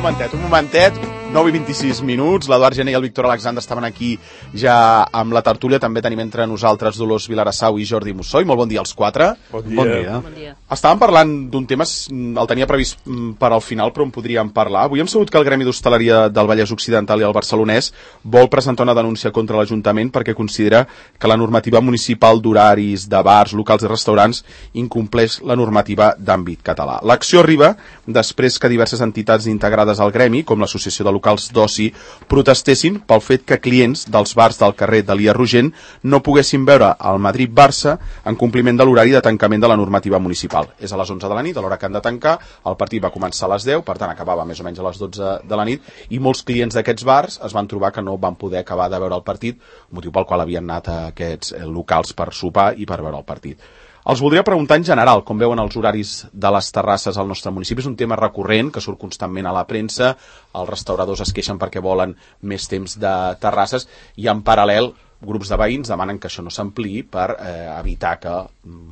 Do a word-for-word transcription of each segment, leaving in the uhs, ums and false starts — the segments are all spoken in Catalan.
momentet, un momentet, nou i vint-i-sis minuts, l'Eduard Gené i el Víctor Alexandre estaven aquí ja amb la tertúlia, també tenim entre nosaltres Dolors Vilarassau i Jordi Mussoi. Molt bon dia als quatre. Bon dia. Bon dia. Bon dia. Estàvem parlant d'un tema, el tenia previst per al final, però en podríem parlar. Avui hem sabut que el Gremi d'Hostaleria del Vallès Occidental i el Barcelonès vol presentar una denúncia contra l'Ajuntament perquè considera que la normativa municipal d'horaris de bars, locals i restaurants incompleix la normativa d'àmbit català. L'acció arriba després que diverses entitats integrades al Gremi, com l'Associació de Locals d'Oci, protestessin pel fet que clients dels bars del carrer d'Elia Rogent no poguessin veure el Madrid-Barça en compliment de l'horari de tancament de la normativa municipal. És a les onze de la nit, a l'hora que han de tancar, el partit va començar a les deu, per tant acabava més o menys a les dotze de la nit, i molts clients d'aquests bars es van trobar que no van poder acabar de veure el partit, motiu pel qual havien anat a aquests locals per sopar i per veure el partit. Els voldria preguntar en general com veuen els horaris de les terrasses al nostre municipi. És un tema recurrent que surt constantment a la premsa, els restauradors es queixen perquè volen més temps de terrasses i en paral·lel grups de veïns demanen que això no s'ampliï per eh, evitar que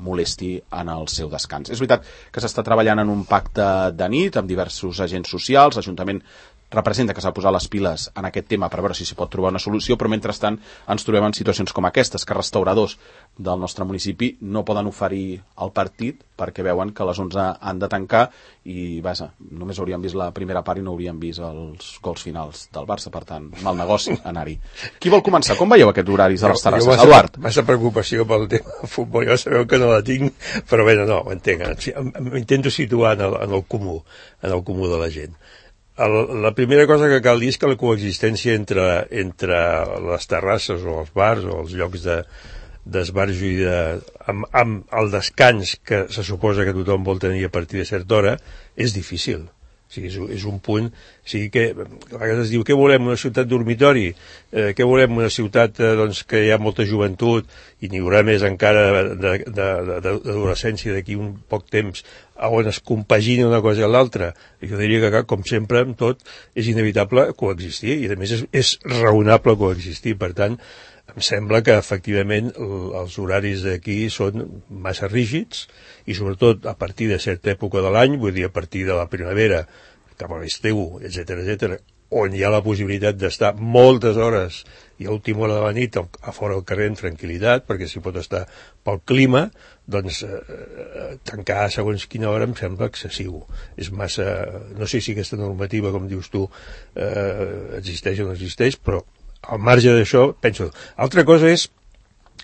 molesti en el seu descans. És veritat que s'està treballant en un pacte de nit amb diversos agents socials, l'Ajuntament representa que s'ha posat les piles en aquest tema per veure si s'hi pot trobar una solució, però mentrestant ens trobem en situacions com aquestes, que restauradors del nostre municipi no poden oferir el partit perquè veuen que a les onze han de tancar i vaja, només haurien vist la primera part i no haurien vist els gols finals del Barça, per tant, mal negoci anar-hi. Qui vol començar? Com veieu aquests horaris de les terrasses? Jo, Eduard? Massa preocupació pel tema del futbol, ja sabeu que no la tinc, però bé, no, ho entenc. M'intento situar en el, en el comú, en el comú de la gent. El, la primera cosa que cal dir és que la coexistència entre, entre les terrasses o els bars o els llocs de, d'esbarjo i de, amb, amb el descans que se suposa que tothom vol tenir a partir de certa hora és difícil. O sigui, és, és un punt, o sigui que a vegades es diu què volem, una ciutat dormitori, eh, què volem, una ciutat eh, doncs, que hi ha molta joventut i n'hi haurà més encara d'adolescència d'aquí un poc temps on es compagina una cosa i l'altra. Jo diria que, com sempre, amb tot, és inevitable coexistir i a més és, és raonable coexistir. Per tant, em sembla que efectivament els horaris d'aquí són massa rígids i sobretot a partir de certa època de l'any, vull dir a partir de la primavera cap a l'estiu, etcètera, etcètera, on hi ha la possibilitat d'estar moltes hores i a última hora de la nit a fora del carrer en tranquil·litat, perquè s'hi pot estar pel clima, doncs eh, tancar segons quina hora em sembla excessiu. És massa... No sé si aquesta normativa, com dius tu, eh, existeix o no existeix, però al marge d'això, penso... Altra cosa és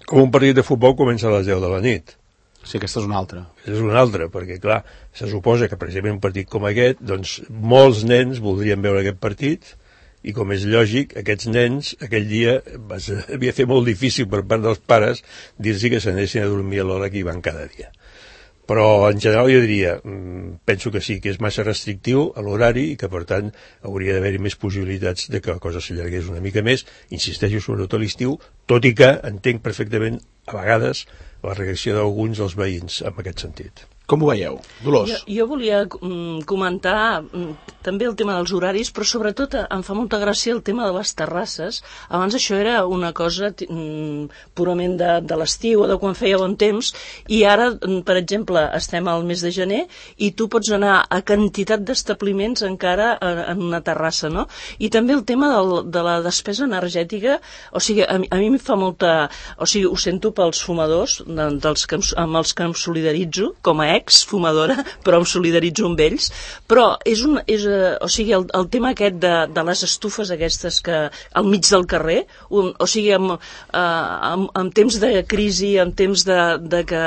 com un partit de futbol comença a les deu de la nit. Sí, aquesta és una altra. És una altra, perquè, clar, se suposa que, precisament, un partit com aquest, doncs, molts nens voldrien veure aquest partit, i, com és lògic, aquests nens, aquell dia, es havia de fer molt difícil per part dels pares dir-los que s'anessin a dormir a l'hora que hi van cada dia. Però, en general, jo diria, penso que sí, que és massa restrictiu a l'horari i que, per tant, hauria d'haver-hi més possibilitats de que la cosa s'allargués una mica més, insisteixo, sobretot a l'estiu, tot i que entenc perfectament, a vegades, la reacció d'alguns dels veïns en aquest sentit. Com ho veieu? Dolors? Jo, jo volia mm, comentar mm, també el tema dels horaris, però sobretot em fa molta gràcia el tema de les terrasses. Abans això era una cosa mm, purament de, de l'estiu o de quan feia bon temps, i ara, mm, per exemple, estem al mes de gener i tu pots anar a quantitat d'establiments encara en una terrassa, no? I també el tema del, de la despesa energètica, o sigui, a, a mi em fa molta... O sigui, ho sento pels fumadors, de, dels que, amb els que em solidaritzo, com a ex-fumadora, però em solidaritzo amb ells, però és un, és, o sigui, el, el tema aquest de, de les estufes aquestes que al mig del carrer, un, o sigui, en, en, en temps de crisi, en temps de, de que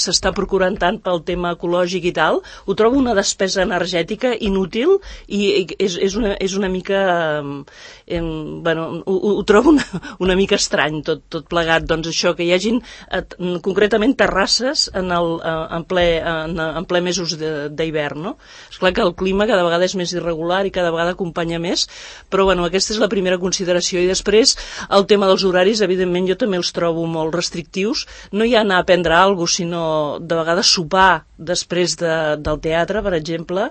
s'està procurant tant pel tema ecològic i tal, ho trobo una despesa energètica inútil i és, és, una, és una mica eh, bueno, ho, ho trobo una, una mica estrany tot, tot plegat, doncs això, que hi hagin eh, concretament terrasses en, el, en ple En, en ple mesos d'hivern, no? Esclar que el clima cada vegada és més irregular i cada vegada acompanya més, però bueno, aquesta és la primera consideració. I després, el tema dels horaris, evidentment jo també els trobo molt restrictius. No hi ha anar a prendre alguna cosa, sinó de vegades sopar després de, del teatre, per exemple,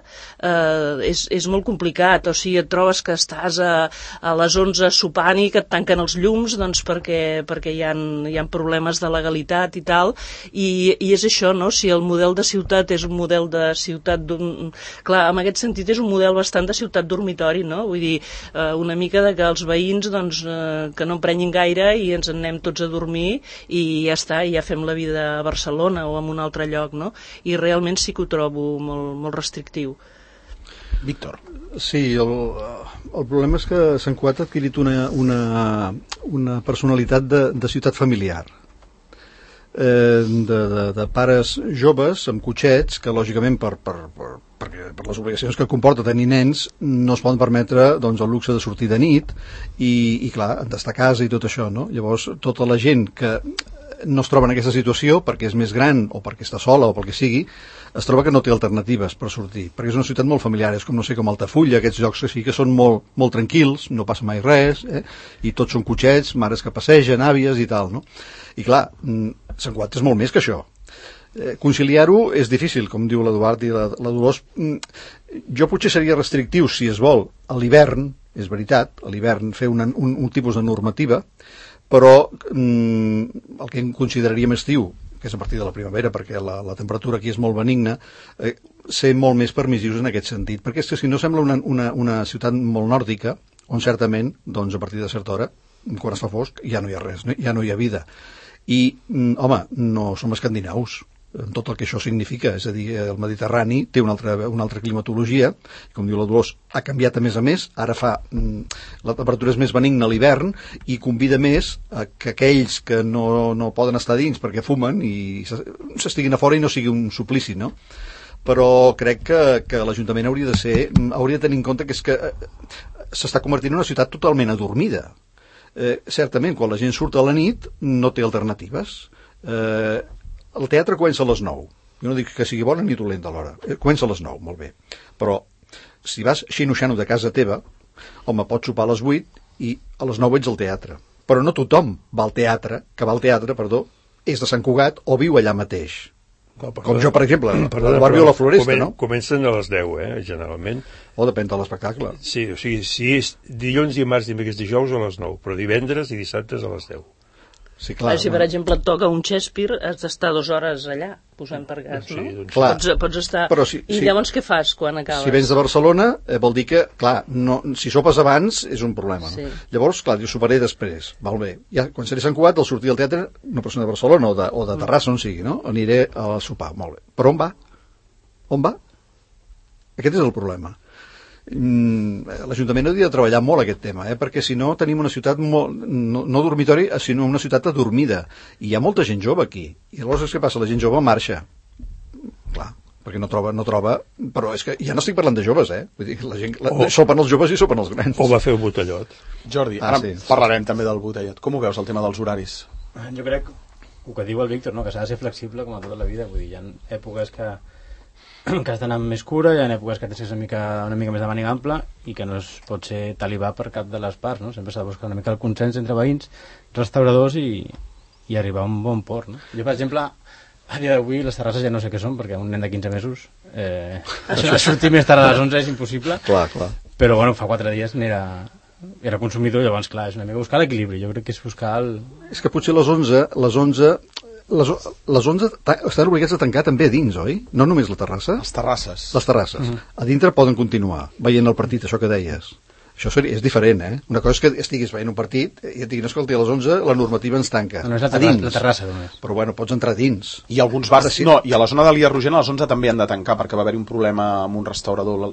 eh, és, és molt complicat. O sigui, et trobes que estàs a, a les onze sopant i que et tanquen els llums, doncs perquè, perquè hi ha, hi ha problemes de legalitat i tal, i, i és això, no? Si el model de ciutat és un model de ciutat d'un... Clar, en aquest sentit és un model bastant de ciutat dormitori, no? Vull dir, eh, una mica de que els veïns, doncs, eh, que no emprenyin gaire i ens en anem tots a dormir i ja està, i ja fem la vida a Barcelona o en un altre lloc, no? I realment sí que ho trobo molt, molt restrictiu. Víctor. Sí, el, el problema és que Sant Cugat ha adquirit una, una, una personalitat de, de ciutat familiar. Eh, de, de, de pares joves amb cotxets que lògicament per, per, per, per, per les obligacions que comporta tenir nens no es poden permetre doncs, el luxe de sortir de nit i, i clar, d'estar a casa i tot això, no? Llavors tota la gent que no es troba en aquesta situació perquè és més gran o perquè està sola o pel que sigui, es troba que no té alternatives per sortir, perquè és una ciutat molt familiar, és com, no sé, com Altafulla, aquests llocs que sí que són molt, molt tranquils, no passa mai res, eh? I tots són cotxets, mares que passegen, àvies i tal, no? I clar, Sant Cugat és molt més que això. Eh, conciliar-ho és difícil, com diu l'Eduard i la, la Dolors. Jo potser seria restrictiu, si es vol, a l'hivern, és veritat, a l'hivern fer una, un, un tipus de normativa, però mm, el que consideraríem estiu, que és a partir de la primavera, perquè la, la temperatura aquí és molt benigna, eh, ser molt més permissius en aquest sentit, perquè és que si no sembla una, una, una ciutat molt nòrdica, on certament, doncs a partir de certa hora, quan es fa fosc, ja no hi ha res, no, ja no hi ha vida. I, mm, home, no som escandinaus, en tot el que això significa, és a dir, el Mediterrani té una altra, una altra climatologia, com diu la Dolors, ha canviat a més a més, ara fa, la temperatura és més benigna a l'hivern i convida més a que aquells que no, no poden estar dins perquè fumen i s'estiguin a fora i no sigui un suplici, no? Però crec que, que l'Ajuntament hauria de ser, hauria de tenir en compte que és que s'està convertint en una ciutat totalment adormida. Eh, certament, quan la gent surt a la nit no té alternatives. Eh, el teatre comença a les nou. Jo no dic que sigui bona ni dolenta a l'hora. Eh, comença a les nou, molt bé. Però si vas xino-xano de casa teva, home, pots sopar a les vuit i a les nou ets al teatre. Però no tothom va al teatre, que va al teatre, perdó, és de Sant Cugat o viu allà mateix. Com, com jo, per exemple, al barri de la Floresta, comen, no? Comencen a les deu, eh, generalment. O depèn de l'espectacle. Sí, o sigui, si és dilluns, dimarts, dimecres, dijous a les nou, però divendres i dissabtes a les deu. Sí, clar, si, per exemple, et toca un Shakespeare, has d'estar dues hores allà, posant per gas, sí, no? Doncs, clar, pots, pots estar... si, I si, llavors què fas quan acabes? Si vens de Barcelona, eh, vol dir que, clar, no, si sopes abans és un problema, no? Sí. Llavors, clar, jo soparé després, val bé. Ja, quan seré a Sant Cugat, al sortir del teatre, una persona de Barcelona o de, o de Terrassa, on sigui, no? Aniré a sopar, molt bé. Però on va? On va? Aquest és el problema. L'Ajuntament hauria de treballar molt aquest tema, eh? Perquè si no tenim una ciutat molt, no, no dormitori, sinó una ciutat adormida, i hi ha molta gent jove aquí, i llavors què passa? La gent jove marxa, clar, perquè no troba, no troba, però és que ja no estic parlant de joves, eh? Vull dir, la gent, la, oh. sopen els joves i sopen els grans. O va fer un botellot. Jordi, ah, ara sí. parlarem també del botellot. Com ho veus, el tema dels horaris? Jo crec, el que diu el Víctor, no? Que s'ha de ser flexible com a tota la vida, vull dir, hi ha èpoques que que has d'anar amb més cura, hi ha èpoques que tens una mica, una mica més de màniga ampla i que no es pot ser talibà per cap de les parts, no? Sempre s'ha de buscar una mica el consens entre veïns, restauradors i, i arribar a un bon port, no? Jo, per exemple, a dia d'avui les terrasses ja no sé què són, perquè un nen de quinze mesos eh, sortir més tard a les onze és impossible, clar, clar. Però bueno, fa quatre dies n'era era consumidor, llavors clar, és una mica buscar l'equilibri, jo crec que és buscar el... És que potser les onze, les onze Les, les onze estan obligats a tancar també a dins, oi? No només la terrassa? Les terrasses. Les terrasses. Uh-huh. A dintre poden continuar veient el partit, això que deies. Això seria, és diferent, eh? Una cosa és que estiguis veient un partit i et diguin, escolta, a les onze la normativa ens tanca. No, no és la terrassa, la terrassa només. Però bueno, pots entrar dins. I alguns bars, sí. No, i a la zona de l'Ia Rogent a les onze també han de tancar, perquè va haver-hi un problema amb un restaurador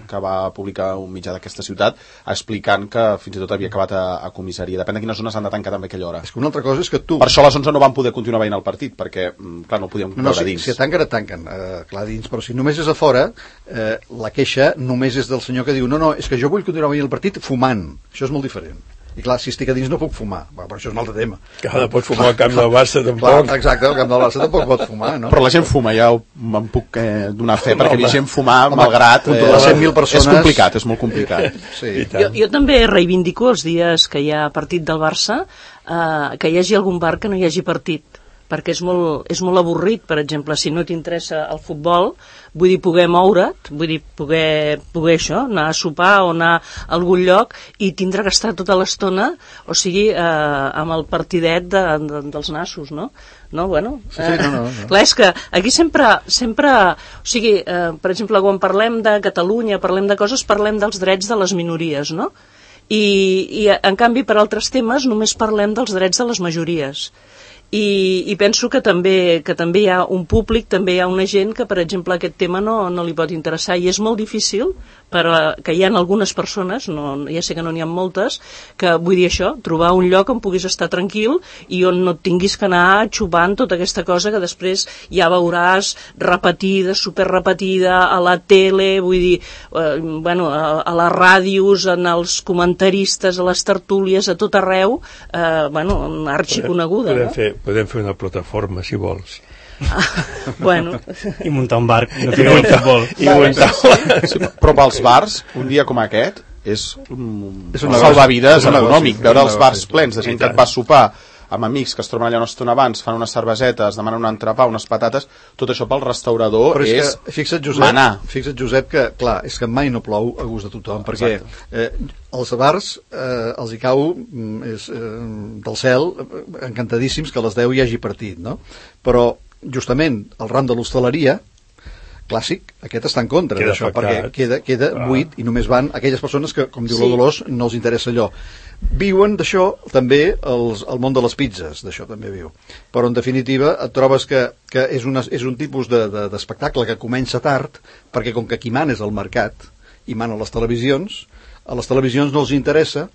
que va publicar un mitjà d'aquesta ciutat explicant que fins i tot havia acabat a, a comissaria. Depèn de quines zones han de tancar també a aquella hora. És que una altra cosa és que tu... Per això a les onze no van poder continuar veient el partit, perquè, clar, no podíem no, no, veure si, dins. Si tanquen, et tanquen, eh, clar, dins. Però si només és a fora, eh, la queixa només és del senyor que diu no, no, és que jo vull continuar veient el partit fumant. Això és molt diferent. I clar, si estic a dins no puc fumar. Va, però això és un altre tema. Que no pots fumar al camp del Barça tampoc. Clar, exacte, al camp del Barça tampoc pot fumar, no? Però la gent fuma, ja em puc eh, donar fe, perquè no, gent fumar, home, malgrat... Eh, les cent mil persones... És complicat, és molt complicat. Sí. Jo, jo també reivindico els dies que hi ha partit del Barça, eh, que hi hagi algun bar que no hi hagi partit. perquè és molt, és molt avorrit, per exemple, si no t'interessa el futbol, vull dir, poder moure't, vull dir, poder, poder això, anar a sopar o anar a algun lloc i tindre que estar tota l'estona, o sigui, eh, amb el partidet de, de, dels nassos, no? No, bueno, sí, sí, no, no, no. Eh, clar, és que aquí sempre, sempre o sigui, eh, per exemple, quan parlem de Catalunya, parlem de coses, parlem dels drets de les minories, no? I, i en canvi, per altres temes, només parlem dels drets de les majories. I, i penso que també, que també hi ha un públic, també hi ha una gent que, per exemple, aquest tema no, no li pot interessar, i és molt difícil, però que hi ha algunes persones, no, ja sé que no n'hi ha moltes, que vull dir això, trobar un lloc on puguis estar tranquil i on no et tinguis que anar xupant tota aquesta cosa que després ja veuràs repetida, superrepetida a la tele, vull dir, eh, bueno, a, a les ràdios, en els comentaristes, a les tertúlies, a tot arreu, eh, bueno, arxiconeguda, podem, no? fer, podem fer una plataforma, si vols. Ah, bueno. I muntar un barc, no ficar un futbol. I muntar, sí, però pels bars, un dia com aquest, és un, és un un salvavides negoci, econòmic. un Veure els negoci. bars plens de gent que et va a sopar amb amics que es troben allà una estona abans, fan unes cervesetes, demanen un entrepà, unes patates, tot això pel restaurador Però és, és, que, fixa't, Josep, manar. fixa't, Josep, que, clar, és que mai no plou a gust de tothom, perquè eh, els bars eh, els hi cau mm, és, eh, del cel, eh, encantadíssims que a les deu hi hagi partit, no? Però, justament, el ram de l'hostaleria clàssic, aquest està en contra d'això, perquè queda, queda ah. buit i només van aquelles persones que, com diu sí. la Dolors, no els interessa allò. Viuen d'això també els, el món de les pizzas, d'això també viu. Però en definitiva et trobes que, que és, una, és un tipus de, de, d'espectacle que comença tard, perquè com que qui mana és el mercat i mana les televisions, a les televisions no els interessa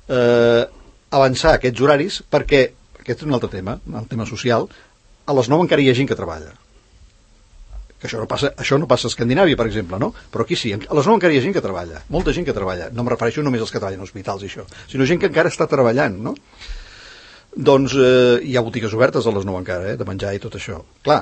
eh, avançar aquests horaris perquè, aquest és un altre tema, el tema social, a les nou encara hi ha gent que treballa. Que això no passa, això no passa a Escandinàvia, per exemple, no? Però aquí sí, a les nou encara hi ha gent que treballa, molta gent que treballa, no em refereixo només als que treballen en hospitals i això, sinó gent que encara està treballant, no? Doncs eh, hi ha botigues obertes a les nou encara, eh, de menjar i tot això. Clar,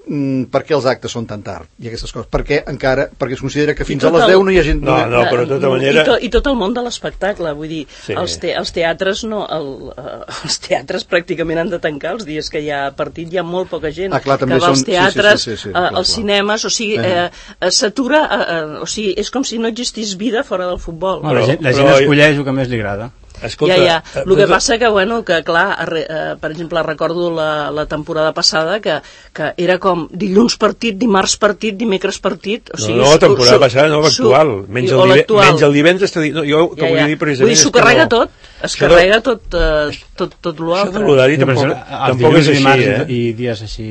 mm, per què els actes són tan tard i aquestes coses? Perquè encara, perquè es considera que fins a les el... deu no hi ha gent... No, no, però de tota manera... I, to, i tot el món de l'espectacle, vull dir, sí. els, te, els teatres no, el, uh, els teatres pràcticament han de tancar els dies que hi ha partit, hi ha molt poca gent ah, clar, que va als són... teatres, sí, sí, sí, sí, uh, clar, als cinemes, o sigui, eh. uh, s'atura, uh, uh, o sigui, és com si no existís vida fora del futbol. Bueno, la gent, la gent però... escolleix el que més li agrada. Escolta, ja, ja. El que passa que, bueno, que clar, eh, per exemple, recordo la, la temporada passada que, que era com dilluns partit, dimarts partit, dimecres partit... O sigui, no, no, temporada su, passada, no, l'actual. Menys, menys el divendres... No, jo que ja, ja. volia dir precisament... Vull dir, s'ho carrega no. tot, es això carrega de... tot, eh, tot, tot l'altre. Això de l'horari sí, tampoc, tampoc és així, eh? I dies així,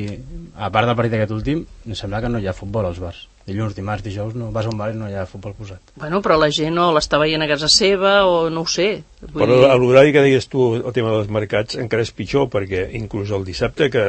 a part del partit aquest últim, em sembla que no hi ha futbol als bars. Dilluns, dimarts, dijous, no vas a un bar i no hi ha futbol posat. Bueno, però la gent no l'està veient a casa seva o no ho sé. Vull però dir... l'horari que deies tu, el tema dels mercats, encara és pitjor, perquè inclús el dissabte, que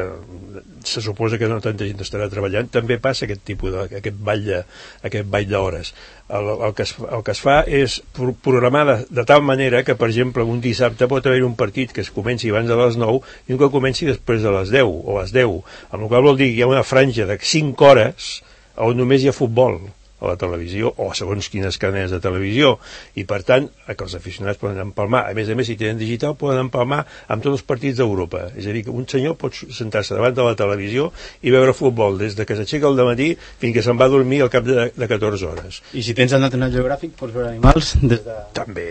se suposa que no tanta gent estarà treballant, també passa aquest tipus de, aquest ball de, aquest ball d'hores. El, el, que es, el que es fa és programar de, de tal manera que, per exemple, un dissabte pot haver un partit que es comenci abans de les nou i un que comenci després de les deu o a les deu, amb la qual vol dir que hi ha una franja de cinc hores on només hi ha futbol a la televisió o segons quines cadenes de televisió i per tant que els aficionats poden empalmar, a més a més si tenen digital poden empalmar amb tots els partits d'Europa, és a dir que un senyor pot sentar-se davant de la televisió i veure futbol des de que s'aixeca al dematí fins que se'n va a dormir al cap de, de catorze hores. I si tens el National Geographic pots veure animals des de... També.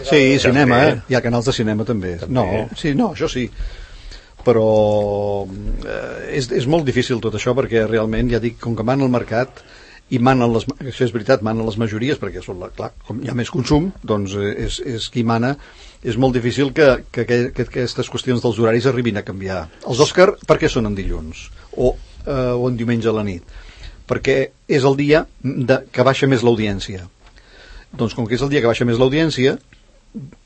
Sí, cinema, eh? Hi ha canals de cinema també. també. No, sí, no, això sí. Però eh, és, és molt difícil tot això perquè realment, ja dic, com que mana el mercat i manen les, això és veritat, manen les majories perquè són la, clar, com hi ha més consum doncs és, és qui mana, és molt difícil que, que, que, que aquestes qüestions dels horaris arribin a canviar. Els Òscar per què són en dilluns o, eh, o en diumenge a la nit? Perquè és el dia de, que baixa més l'audiència. Doncs com que és el dia que baixa més l'audiència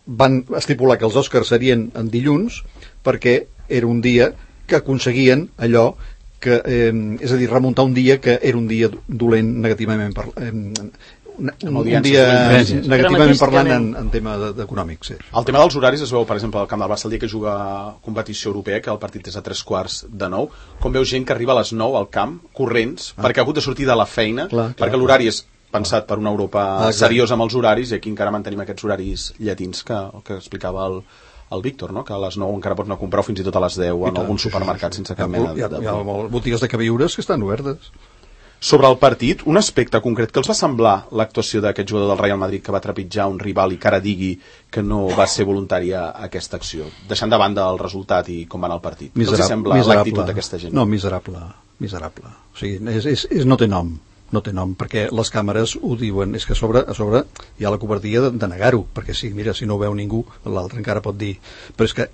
van estipular que els Òscars serien en dilluns perquè era un dia que aconseguien allò que, eh, és a dir, remuntar un dia que era un dia dolent negativament per, eh, un, un dia negativament parlant en, en tema econòmic, sí. El tema dels horaris es veu, per exemple, al Camp del Barça el dia que juga competició europea, que el partit és a tres quarts de nou, com veus gent que arriba a les nou al camp, corrents, ah. perquè ha hagut de sortir de la feina, clar, clar, perquè l'horari és pensat per una Europa ah, seriosa amb els horaris, i aquí encara mantenim aquests horaris llatins que, que explicava el, el Víctor, no? Que a les nou encara pots anar a comprar fins i tot a les deu en algun supermercat sense cap mena de... Hi ha, hi ha botigues de queviures que estan obertes. Sobre el partit, un aspecte concret, que els va semblar l'actuació d'aquest jugador del Real Madrid que va trepitjar un rival i que ara digui que no va ser voluntària aquesta acció, deixant de banda el resultat i com va anar el partit? Què els sembla l'actitud d'aquesta gent? No, miserable, miserable. O sigui, és, és, és, no té nom, no té nom, perquè les càmeres ho diuen, és que a sobre, a sobre hi ha la covardia de, de negar-ho, perquè sí, mira, si no ho veu ningú, l'altre encara pot dir, però és que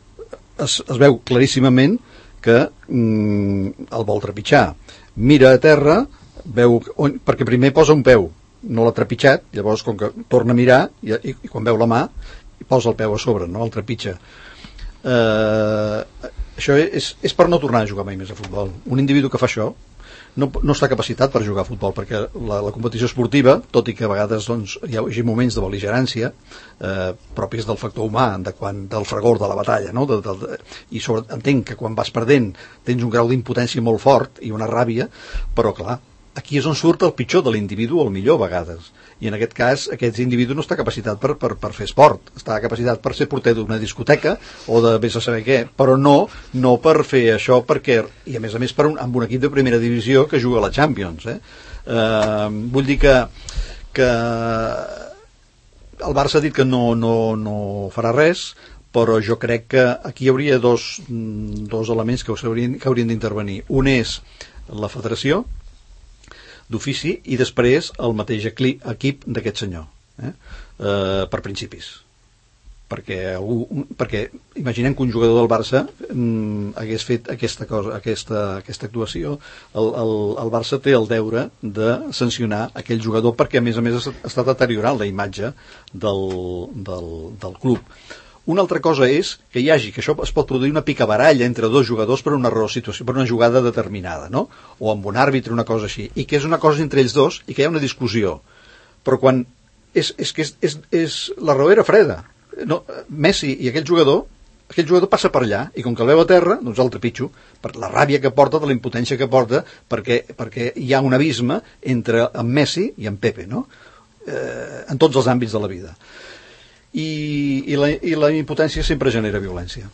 es, es veu claríssimament que mm, el vol trepitjar. Mira a terra, veu, on, perquè primer posa un peu, no l'ha trepitjat, llavors com que torna a mirar i, i, i quan veu la mà posa el peu a sobre, no el trepitja. Eh, això és, és per no tornar a jugar mai més a futbol. Un individu que fa això no, no està capacitat per jugar a futbol, perquè la, la competició esportiva, tot i que a vegades doncs, hi ha moments de bel·ligerància eh, propis del factor humà, de quan, del fragor de la batalla, no? de, de, de, i sobre, entenc que quan vas perdent tens un grau d'impotència molt fort i una ràbia, però clar, aquí és on surt el pitjor de l'individu, o el millor a vegades, i en aquest cas aquest individu no està capacitat per, per, per fer esport, està capacitat per ser porter d'una discoteca o de vés a saber què, però no, no per fer això, perquè, i a més a més per un, amb un equip de primera divisió que juga a la Champions, eh? Eh, vull dir que que el Barça ha dit que no, no, no farà res, però jo crec que aquí hi hauria dos, dos elements que haurien, que haurien d'intervenir. Un és la federació d'ofici i després el mateix equip d'aquest senyor, eh? Eh, per principis, perquè, algú, perquè imaginem que un jugador del Barça mm, hagués fet aquesta cosa, aquesta, aquesta actuació. el, el, el Barça té el deure de sancionar aquell jugador, perquè a més a més està deteriorant la imatge del, del, del club. Una altra cosa és que hi hagi, que això es pot produir una picabaralla entre dos jugadors per una raó situació, per una jugada determinada, no? O amb un àrbitre, una cosa així, i que és una cosa entre ells dos i que hi ha una discussió. Però quan és, és que és, és, és la raó era freda. No, Messi i aquell jugador, aquell jugador passa per allà i com que el veu a terra, doncs el trepitjo, per la ràbia que porta, de la impotència que porta, perquè, perquè hi ha un abisme entre en Messi i en Pepe, no? Eh, en tots els àmbits de la vida. I, i, la, i la impotència sempre genera violència.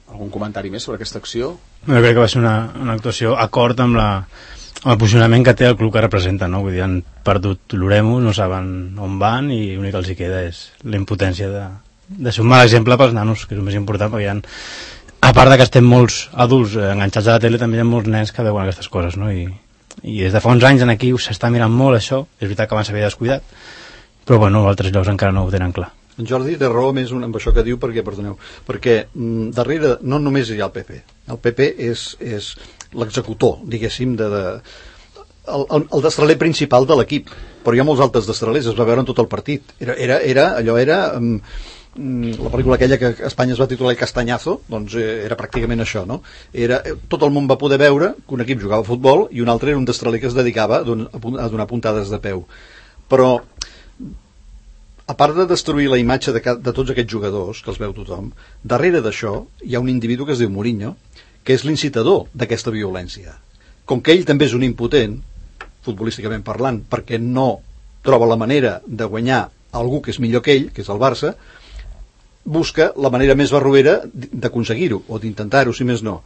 Algun comentari més sobre aquesta acció? Jo crec que va ser una, una actuació acord amb, la, amb el posicionament que té el club que representa, no? Vull dir, han perdut l'Oremo, no saben on van i l'únic que els hi queda és la impotència de, de ser un mal exemple pels nanos, que és el més important, perquè hi ha, a part de que estem molts adults enganxats a la tele, també hi ha molts nens que veuen aquestes coses, no? I, i des de fa uns anys en aquí s'està mirant molt això, és veritat que abans s'havia descuidat, però bueno, altres llocs encara no ho tenen clar. En Jordi té raó més amb això que diu, perquè, perdoneu, perquè mm, darrere no només hi ha el P P. El P P és, és l'executor, diguéssim, de, de, el, el, el destraler principal de l'equip, però hi ha molts altres destralers, es va veure en tot el partit. Era, era, era allò era... Mm, la pel·lícula aquella que a Espanya es va titular El Castanyazo, doncs era pràcticament això, no? Era, tot el món va poder veure que un equip jugava a futbol i un altre era un destraler que es dedicava a donar puntades de peu. Però a part de destruir la imatge de, de tots aquests jugadors, que els veu tothom, darrere d'això hi ha un individu que es diu Mourinho, que és l'incitador d'aquesta violència. Com que ell també és un impotent, futbolísticament parlant, perquè no troba la manera de guanyar algú que és millor que ell, que és el Barça, busca la manera més barroera d'aconseguir-ho, o d'intentar-ho, si més no.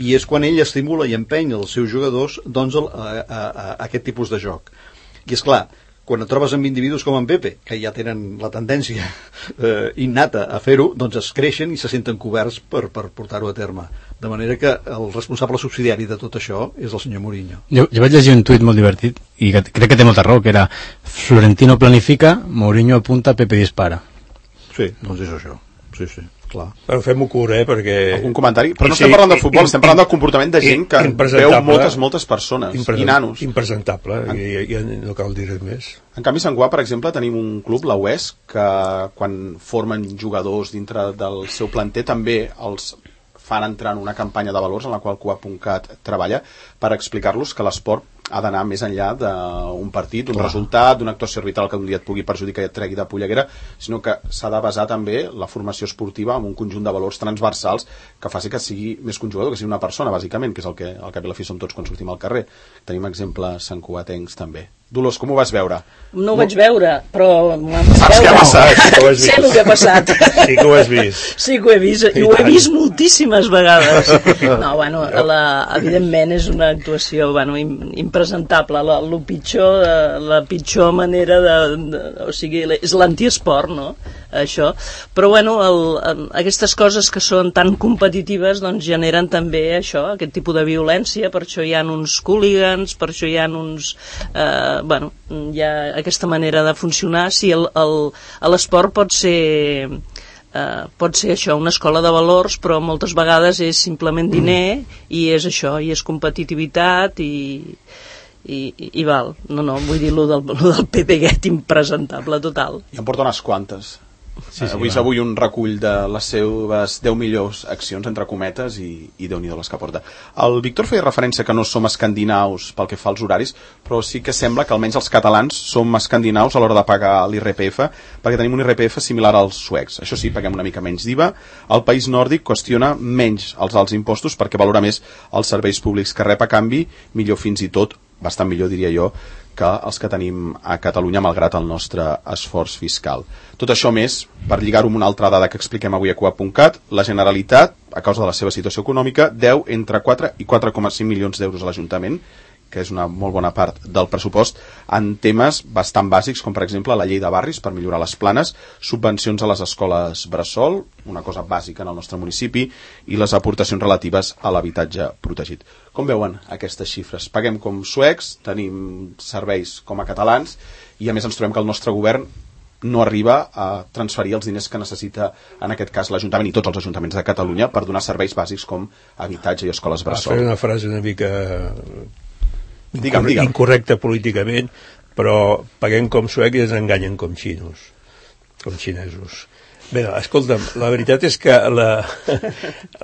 I és quan ell estimula i empeny els seus jugadors doncs, a, a, a, a aquest tipus de joc. I és clar, quan et trobes amb individus com en Pepe, que ja tenen la tendència eh, innata a fer-ho, doncs es creixen i se senten coberts per, per portar-ho a terme. De manera que el responsable subsidiari de tot això és el senyor Mourinho. Jo, jo vaig llegir un tuit molt divertit, i que crec que té molta raó, que era Florentino planifica, Mourinho apunta, Pepe dispara. Sí, doncs és això. Sí, sí, clar. Però fem-ho curt, eh, perquè... Algun comentari? Però no estem parlant de futbol, estem parlant del comportament de gent que veu moltes, moltes persones, i nanos. Impresentable, en... i, i no cal dir res més. En canvi, a Sant Guà, per exemple, tenim un club, la U E S, que quan formen jugadors dintre del seu planter també els fan entrar en una campanya de valors en la qual Cuap punt cat treballa per explicar-los que l'esport ha d'anar més enllà d'un partit, d'un resultat, d'una actuació arbitral que un dia et pugui perjudicar i et tregui de polleguera, sinó que s'ha de basar també la formació esportiva en un conjunt de valors transversals que faci que sigui més que un jugador, que sigui una persona, bàsicament, que és el que al cap i a la fi som tots quan sortim al carrer. Tenim exemples santcugatencs també. Dolors, com ho vas veure? No ho vaig veure, però... Saps què ha passat? Sé el que ha passat. Sí que ho has vist. Sí que ho he vist, i ho he vist moltíssimes vegades. No, bueno, la, evidentment és una actuació bueno, impresentable, la, la, pitjor, la pitjor manera de, de... O sigui, és l'antiesport, no?, això. Però, bueno, el, aquestes coses que són tan competitives doncs generen també això, aquest tipus de violència, per això hi ha uns hooligans, per això hi ha uns... Eh, bueno, hi ha aquesta manera de funcionar. Sí, el, el, l'esport pot ser eh, pot ser això, una escola de valors, però moltes vegades és simplement diner i és això, i és competitivitat i, i, i, i val, no, no, vull dir lo del, lo del pepeguet impresentable total. I em porta unes quantes. Sí, sí, avui és va. avui un recull de les seves deu millors accions, entre cometes, i, i Déu-n'hi-do les que porta. El Víctor feia referència que no som escandinaus pel que fa als horaris, però sí que sembla que almenys els catalans som escandinaus a l'hora de pagar l'I R P F, perquè tenim un I R P F similar als suecs. Això sí, paguem una mica menys d'I V A. El país nòrdic qüestiona menys els alts impostos perquè valora més els serveis públics que rep a canvi, millor fins i tot, bastant millor diria jo, que els que tenim a Catalunya, malgrat el nostre esforç fiscal. Tot això més, per lligar-ho amb una altra dada que expliquem avui a coap punt cat, la Generalitat, a causa de la seva situació econòmica, deu entre quatre i quatre coma cinc milions d'euros a l'Ajuntament, que és una molt bona part del pressupost, en temes bastant bàsics, com per exemple la llei de barris per millorar les planes, subvencions a les escoles bressol, una cosa bàsica en el nostre municipi, i les aportacions relatives a l'habitatge protegit. Com veuen aquestes xifres? Paguem com suecs, tenim serveis com a catalans, i a més ens trobem que el nostre govern no arriba a transferir els diners que necessita, en aquest cas, l'Ajuntament i tots els ajuntaments de Catalunya per donar serveis bàsics com habitatge i escoles bressol. Va fer una frase una mica... Digue'm, digue'm. incorrecte políticament, però paguem com suecs i ens enganyen com xinos, com xinesos. Bé, no, escolta'm, la veritat és que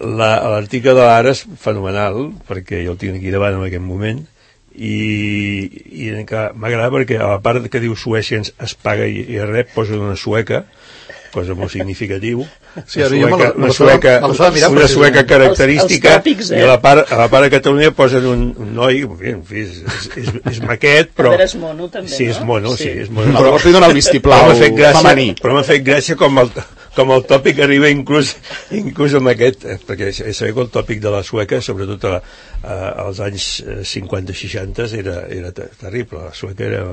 l'article de l'Ara és fenomenal, perquè jo el tinc aquí davant en aquest moment, i, i m'agrada perquè a la part que diu Suècia es paga i, i rep, posa una sueca, cosa molt significativa, sí, una sueca, una sueca, mirar, una sueca característica, els, els tòpics, eh? I a la part, a la part de Catalunya posen un, un noi, en fi, és, és, és maquet, però... Però és mono, també, sí, és mono, sí, sí, és mono. Però llavors li dona el vistiplau femení. Però m'ha fet gràcia com el, com el tòpic arriba inclús, inclús amb aquest, perquè sabeu que el tòpic de la sueca, sobretot a, a, als anys cinquanta seixanta, era, era terrible. La sueca era...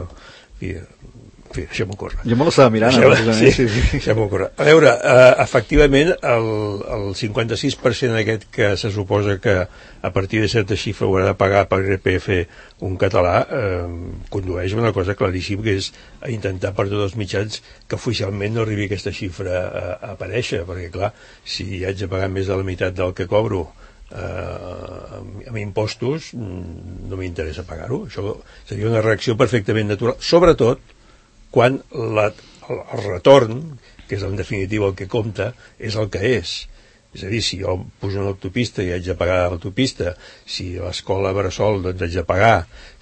En fi, deixem-ho córrer. Jo me l'estava mirant. Deixem, sí, sí, sí. Deixem-ho córrer. A veure, eh, efectivament, el, el cinquanta-sis per cent aquest que se suposa que a partir de certa xifra haurà de pagar per I R P F un català, eh, condueix una cosa claríssima, que és a intentar per tots els mitjans que oficialment no arribi aquesta xifra a, a aparèixer, perquè, clar, si haig de pagar més de la meitat del que cobro eh, amb, amb impostos, no m'interessa pagar-ho. Això seria una reacció perfectament natural, sobretot quan la, el, el retorn, que és en definitiva el que compta, és el que és. És a dir, si jo pujo una autopista i haig de pagar l'autopista, si a l'escola bressol doncs haig de pagar,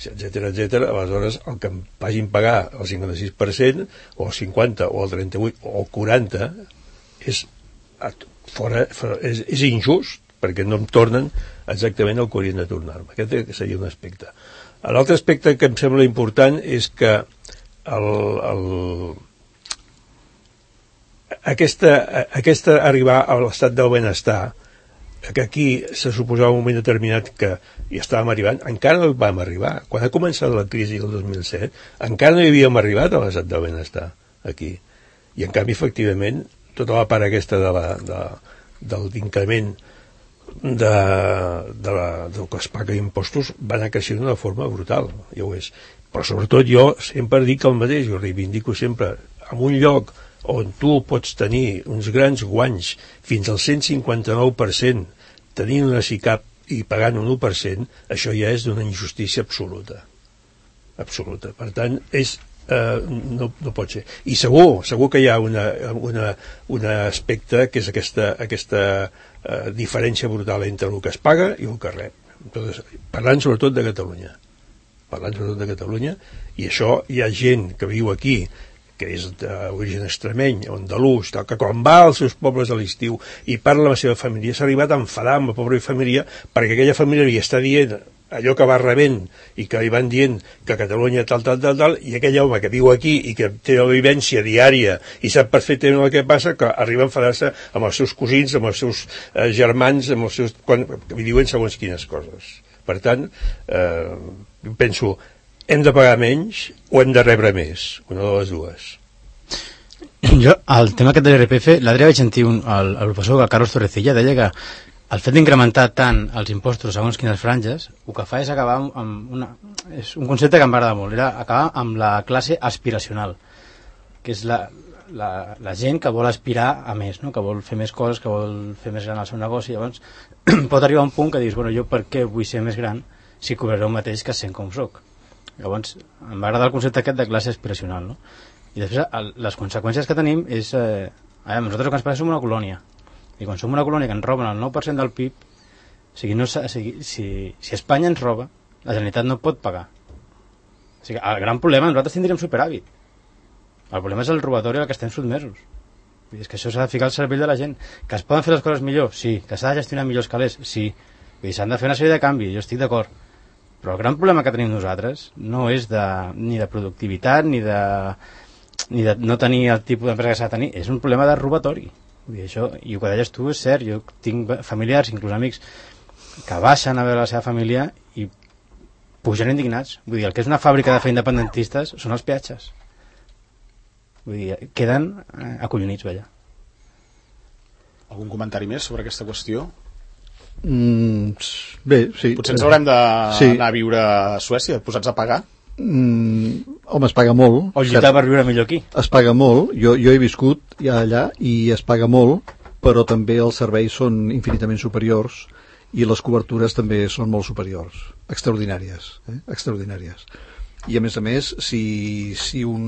etcètera, etcètera, aleshores el que em vagin pagar el cinquanta-sis per cent, o el cinquanta, o el trenta-vuit, o el quaranta, és, fora, fora, és, és injust, perquè no em tornen exactament el que haurien de tornar-me. Aquest seria un aspecte. L'altre aspecte que em sembla important és que El, el, aquesta, aquesta arribar a l'estat del benestar, que aquí se suposava un moment determinat que hi estàvem arribant, encara no hi vam arribar. Quan ha començat la crisi del dos mil set, encara no hi havíem arribat a l'estat del benestar aquí. I en canvi, efectivament, tota la part aquesta de la, de, de l'increment de, de la, del que es paga impostos va anar creixent d'una forma brutal, ja ho és. Però sobretot jo sempre dic el mateix, jo reivindico sempre, en un lloc on tu pots tenir uns grans guanys fins al cent cinquanta-nou per cent tenint una S I C A P i pagant un u per cent, això ja és d'una injustícia absoluta. Absoluta. Per tant, és, eh, no, no pot ser. I segur, segur que hi ha una, una, un aspecte que és aquesta, aquesta eh, diferència brutal entre el que es paga i el que rep. Entonces, parlant sobretot de Catalunya. parlant sobretot de Catalunya, i això hi ha gent que viu aquí, que és d'origen extremeny, andalús, que quan va als seus pobles a l'estiu i parla amb la seva família, s'ha arribat a enfadar amb la pobra família perquè aquella família li està dient allò que va rebent i que li van dient que a Catalunya tal, tal, tal, tal, i aquell home que viu aquí i que té la vivència diària i sap perfectament el que passa, que arriba a enfadar-se amb els seus cosins, amb els seus eh, germans, amb els seus... quan li diuen segons quines coses. Per tant, eh, penso, hem de pagar menys o hem de rebre més? Una de les dues. Jo, el tema aquest de l'I R P F, l'altre vaig sentir un, el, el professor Carlos Torrecilla deia que el fet d'incrementar tant els impostos segons quines franges, el que fa és acabar amb una... És un concepte que em va agradar molt, era acabar amb la classe aspiracional, que és la, la, la gent que vol aspirar a més, no? Que vol fer més coses, que vol fer més gran el seu negoci. Llavors pot arribar a un punt que dius, bueno, jo per què vull ser més gran si cobraré el mateix que sent com soc? Llavors, em va agradar el concepte aquest de classe aspiracional, no? I després, el, les conseqüències que tenim és... Eh, a veure, nosaltres el que ens passa som una colònia. I quan som una colònia que ens roben el nou per cent del P I B, o sigui, no, o sigui, si, si Espanya ens roba, la Generalitat no pot pagar. O sigui, el gran problema, nosaltres tindríem superàvit. El problema és el robatori al que estem sotmesos. És que això s'ha de ficar al cervell de la gent. Que es poden fer les coses millor? Sí. Que s'ha de gestionar millor els calés? Sí. Vull dir, s'han de fer una sèrie de canvis, jo estic d'acord. Però el gran problema que tenim nosaltres no és de, ni de productivitat ni de, ni de no tenir el tipus d'empresa que s'ha de tenir, és un problema de robatori. Vull dir, això, i el que deies tu és cert, jo tinc familiars, inclús amics, que baixen a veure la seva família i pugen indignats. Vull dir, el que és una fàbrica de fer independentistes són els peatges. Vull dir, queden eh, acollonits, veia. Algun comentari més sobre aquesta qüestió? Mm, bé, sí. Potser ens haurem d'anar sí. a viure a Suècia, posats a pagar? Mm, home, es paga molt. O lluitar per viure millor aquí. Es paga molt. Jo, jo he viscut ja allà i es paga molt, però també els serveis són infinitament superiors i les cobertures també són molt superiors. Extraordinàries. Eh? Extraordinàries. I a més a més, si, si un,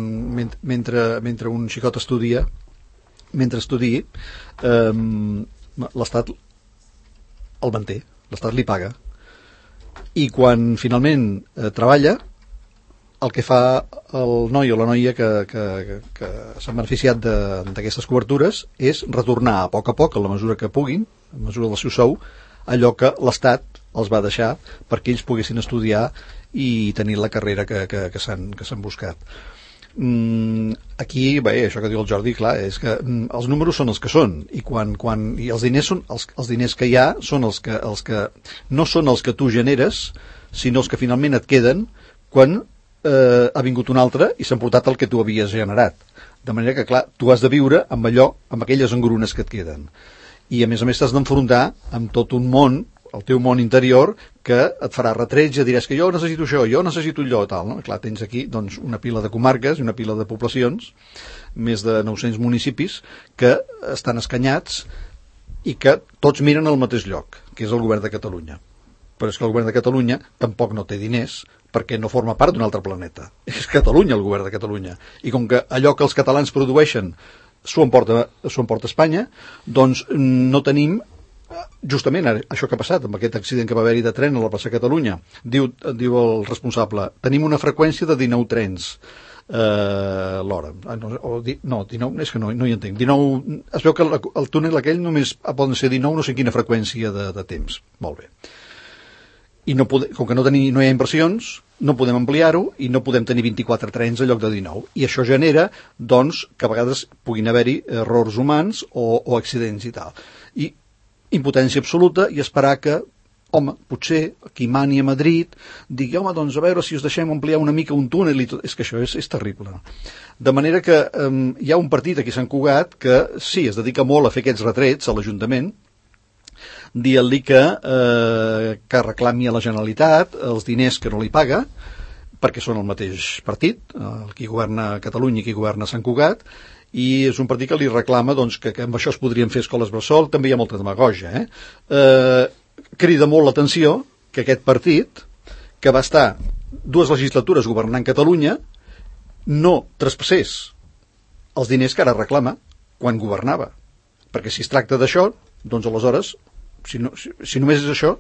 mentre, mentre un xicot estudia, mentre estudi, eh, l'Estat el manté, l'Estat li paga, i quan finalment eh, treballa, el que fa el noi o la noia que, que, que, que s'han beneficiat d'aquestes cobertures és retornar a poc a poc, a la mesura que puguin, a la mesura del seu sou, allò que l'Estat els va deixar perquè ells poguessin estudiar i tenir la carrera que, que, que s'han que s'han buscat. Mm, aquí, bé, això que diu el Jordi, clar, és que mm, els números són els que són, i quan, quan i els diners són els, els diners que hi ha són els que, els que no són els que tu generes, sinó els que finalment et queden quan eh, ha vingut un altre i s'ha emportat el que tu havies generat. De manera que, clar, tu has de viure amb allò, amb aquelles engrunes que et queden. I a més a més t'has d'enfrontar amb tot un món, el teu món interior, que et farà retrets i diràs que jo necessito això, jo necessito allò, tal, no? Clar, tens aquí doncs, una pila de comarques i una pila de poblacions, més de nou-cents municipis, que estan escanyats i que tots miren al mateix lloc, que és el govern de Catalunya. Però és que el govern de Catalunya tampoc no té diners, perquè no forma part d'un altre planeta. És Catalunya el govern de Catalunya. I com que allò que els catalans produeixen s'ho emporta, s'ho emporta Espanya, doncs no tenim justament això que ha passat amb aquest accident que va haver-hi de tren a la plaça Catalunya. Diu, diu el responsable, tenim una freqüència de dinou trens eh, l'hora. No, o di, no, dinou, és que no, no hi entenc. dinou, es veu que el, el túnel aquell només poden ser dinou, no sé quina freqüència de, de temps. Molt bé. I no pode, com que no, tenim, no hi ha inversions, no podem ampliar-ho i no podem tenir vint-i-quatre trens en lloc de dinou. I això genera, doncs, que a vegades puguin haver-hi errors humans o, o accidents i tal. I impotència absoluta i esperar que, home, potser qui mani a Madrid digui, home, doncs a veure si us deixem ampliar una mica un túnel i tot. És que això és, és terrible. De manera que eh, hi ha un partit aquí a Sant Cugat que sí, es dedica molt a fer aquests retrets a l'Ajuntament, dient-li que, eh, que reclami a la Generalitat els diners que no li paga, perquè són el mateix partit, el qui governa Catalunya i qui governa Sant Cugat, i és un partit que li reclama doncs, que, que amb això es podrien fer escoles bressol. També hi ha molta demagogia. Eh? Eh, crida molt l'atenció que aquest partit, que va estar dues legislatures governant Catalunya, no traspassés els diners que ara reclama quan governava. Perquè si es tracta d'això, doncs aleshores, si, no, si, si només és això,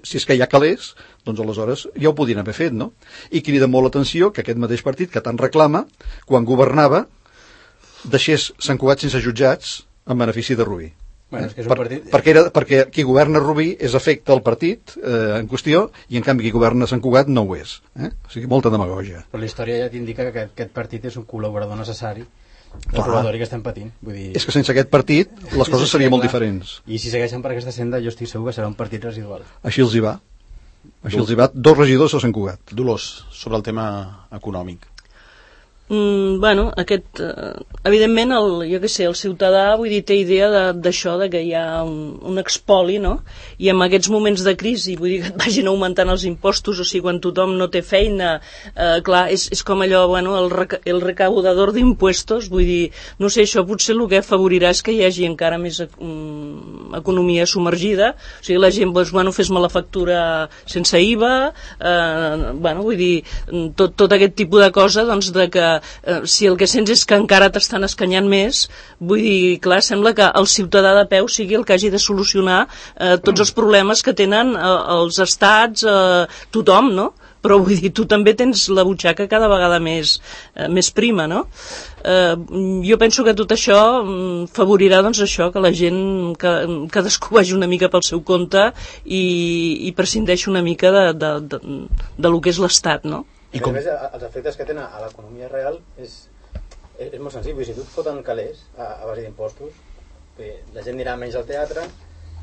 si és que hi ha calés, doncs aleshores ja ho podien haver fet, no? I crida molt l'atenció que aquest mateix partit que tant reclama, quan governava, deixés Sant Cugat sense jutjats en benefici de Rubí. Bueno, és que és un per, partit... perquè, era, perquè qui governa Rubí és efecte del partit eh, en qüestió, i en canvi qui governa Sant Cugat no ho és. Eh? O sigui, molta demagogia. Però la història ja t'indica que aquest, aquest partit és un col·laborador necessari del Clar. robatori que estem patint. Vull dir... És que sense aquest partit les coses serien molt diferents. I si segueixen per aquesta senda, jo estic segur que serà un partit residual. Així els hi va. Així els hi va. Dos regidors a Sant Cugat. Dolors, sobre el tema econòmic. Mm, bueno, aquest, eh, evidentment, el, jo què sé, el ciutadà, vull dir, té idea d'això, de, de que hi ha un, un expoli, no? I en aquests moments de crisi, vull dir, que et vagin augmentant els impostos, o sigui, quan tothom no té feina, eh, clar, és, és com allò, bueno, el, reca, el recaudador d'impuestos, vull dir, no sé, això potser el que afavorirà és que hi hagi encara més um, economia submergida, o sigui, la gent, doncs, bueno, fes-me la factura sense I V A, eh, bueno, vull dir, tot, tot aquest tipus de cosa, doncs, de que Uh, si el que sents és que encara t'estan escanyant més, vull dir, clar, sembla que el ciutadà de peu sigui el que hagi de solucionar uh, tots els problemes que tenen uh, els estats, uh, tothom, no? Però vull dir, tu també tens la butxaca cada vegada més, uh, més prima, no? Uh, jo penso que tot això um, favorirà, doncs, això, que la gent que, cadascú vagi una mica pel seu compte i, i prescindeixi una mica de, de, de, de lo que és l'estat, no? I com... a més, els efectes que tenen a l'economia real és, és, és molt senzill. Si tu et foten calés a, a base d'impostos, la gent anirà menys al teatre,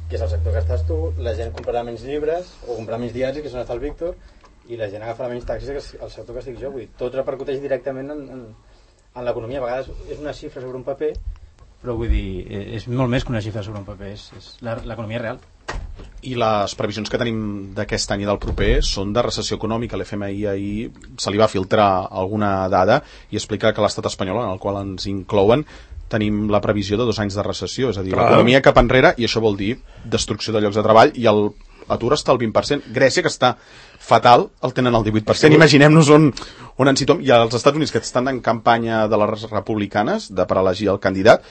que és el sector que estàs tu, la gent comprarà menys llibres o comprarà menys diaris, que és on està el Víctor, i la gent agafarà menys taxis, que és el sector que estic jo. Vull dir, tot repercuteix directament en, en, en l'economia. A vegades és una xifra sobre un paper, però vull dir, és molt més que una xifra sobre un paper, és, és l'economia real. I les previsions que tenim d'aquest any i del proper són de recessió econòmica. L'F M I ahir se li va filtrar alguna dada i explica que l'estat espanyol, en el qual ens inclouen, tenim la previsió de dos anys de recessió, és a dir, l'economia cap enrere, i això vol dir destrucció de llocs de treball, i el atur està al vint per cent. Grècia, que està fatal, el tenen al divuit per cent. Imaginem-nos on, on ens situem. I als Estats Units, que estan en campanya de les republicanes de per elegir el candidat,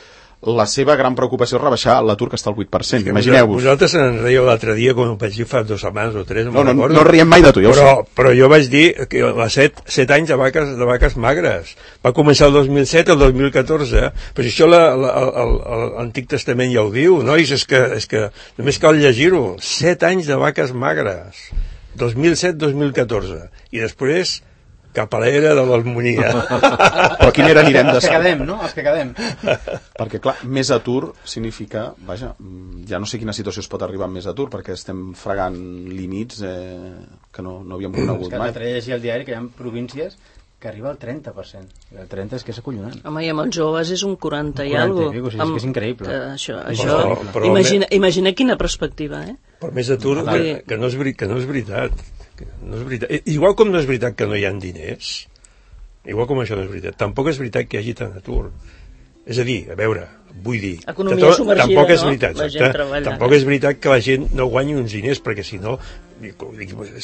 la seva gran preocupació és rebaixar l'atur, que està al vuit per cent. Imagineu-vos. Vosaltres en reieu l'altre dia, quan ho vaig dir fa dues setmanes o tres, no, no, no, no riem mai de tu, ja però, però jo vaig dir que a set, set anys de vaques, de vaques magres. Va començar el dos mil set, el dos mil catorze, però si això l'Antic Testament ja ho diu, nois, és que, és que només cal llegir-ho. Set anys de vaques magres. dos mil set dos mil catorze. I després cap a l'era de l'harmonia. Però quina era anirem de Els que quedem, no? Els que quedem. Perquè, clar, més atur significa, vaja, ja no sé quina situació es pot arribar amb més atur, perquè estem fregant límits eh, que no, no havíem conegut mai. mai. L'altre dia llegia al diari que hi ha províncies que arriba al trenta per cent. El trenta és que és acollonant. Home, i amb els joves és un quaranta i alguna cosa. O sigui, és que és increïble. Que això, Però- això, però imagina, imagina quina perspectiva, eh? Per més atur, que, que, no és, veri- que no és veritat. Que no és veritat. I- Igual com no és veritat que no hi ha diners, igual com això no és veritat, tampoc és veritat que hi hagi tant atur. És a dir, a veure, vull dir... Economia que tot- submergida, tampoc és no? veritat, La gent exacte. treballa. Tampoc és veritat que la gent no guanyi uns diners, perquè si no,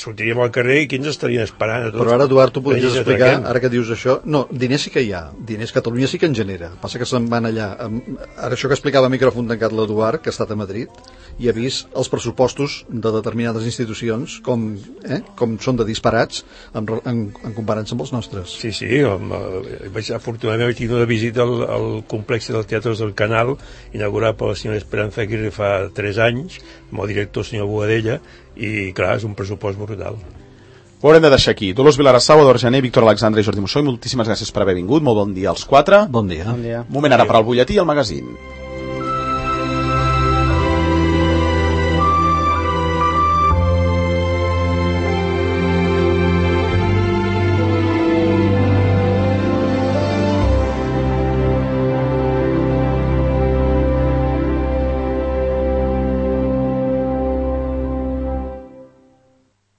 sortiríem al carrer i qui ens estarien esperant a tots? Però ara, Eduard, tu podries Ells explicar, atraquem. ara que dius això... No, diners sí que hi ha. Diners Catalunya sí que en genera. Passa que se'n van allà... Amb... Ara això que explicava a micròfon tancat l'Eduard, que ha estat a Madrid, i ha vist els pressupostos de determinades institucions com, eh, com són de disparats en, en, en comparança amb els nostres. Sí, sí, amb, eh, vaig, afortunadament vaig tenir una visita al, al complex dels teatres del Canal, inaugurat per la senyora Esperanza Aguirre fa tres anys, amb el director senyor Boadella, i clar, és un pressupost brutal. Ho haurem de deixar aquí. Dolors Vilarassau, Eduard Jané, Víctor Alexandre i Jordi Mossó, moltíssimes gràcies per haver vingut, molt bon dia als quatre. Bon dia. Bon dia. Moment ara per al butlletí i el magazín.